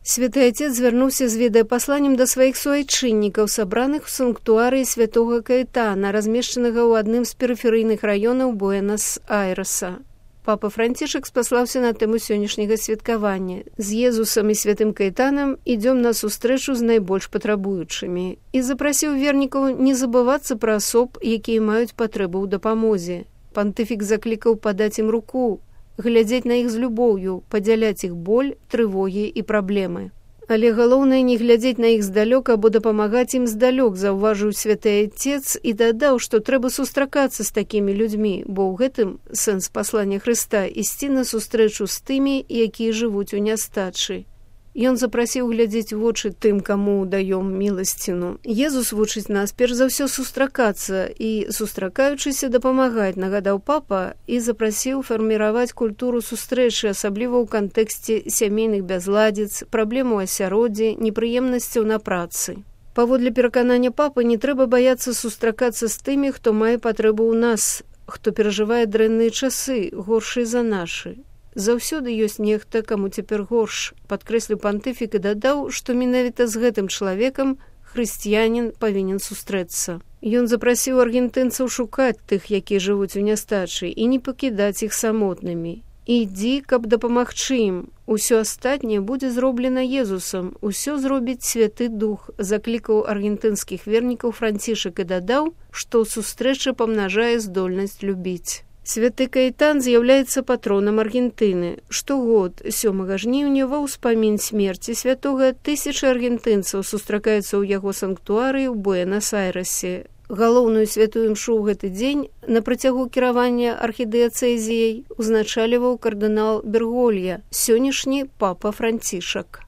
Святы Отец звярнуўся з відэапасланнем да сваіх суайчыннікаў, сабраных у санктуарыі святога Каэтана, размешчанага ў адным з перыферыйных раёнаў Буэнас-Айрэса. Папа Францішак спаслаўся на тэму сённяшняга святкавання. З Езусам і святым Каэтанам ідём на сустрэчу з найбольш патрабуючымі і запрасіў вернікаў не забывацца пра асоб, якія маюць патрэбу ў дапамозе. Пантыфік заклікаў падаць ім руку, глядзець на іх з любоўю, падзяляць іх боль, трывогі і праблемы. Але галоўнае не глядзець на іх здалёк або дапамагаць ім здалёк, заўважыў святы Отец і дадаў, што трэба сустракацца з такімі людзьмі, бо ў гэтым сэнс паслання Хрыста ісці на сустрэчу з тымі, якія жывуць у нястачы. Ён запрасіў глядзець вочы тым, каму даём міласціну. Езус вучыць нас перш за ўсё сустракацца і, сустракаючыся, дапамагаць, нагадаў папа, і запрасіў фарміраваць культуру сустрэчы, асабліва ў кантэксце сямейных бязладзіц, праблем у асяроддзі, непрыемнасцяў на працы. Паводле пераканання папы, не трэба баяцца сустракацца з тымі, хто мае патрэбу ў нас, хто перажывае дрэнныя часы, горшыя за нашы. Заўсёды ёсць нехта, каму цяпер горш, падкрэсліў пантыфік і дадаў, што менавіта з гэтым чалавекам хрысціянін павінен сустрэцца. Ён запрасіў аргентынцаў шукаць тых, якія жывуць у нястачы, і не пакідаць іх самотнымі. Ідзі, каб дапамагчы ім. Усё астатняе будзе зроблена Езусам, усё зробіць Святы Дух, заклікаў аргентынскіх вернікаў Францішак і дадаў, што сустрэча памнажае здольнасць любіць. Святы Каэтан з'яўляецца патронам Аргентыны. Штогод, 7 жніўня, ва ўспамін смерці святога, тысячы аргентынцаў сустракаюцца ў яго санктуарыі ў Буэнас-Айрэсе. Галоўную святую імшу ў гэты дзень на працягу кіравання архідыяцэзіяй узначаліваў кардынал Берголья, сённяшні папа Францішак.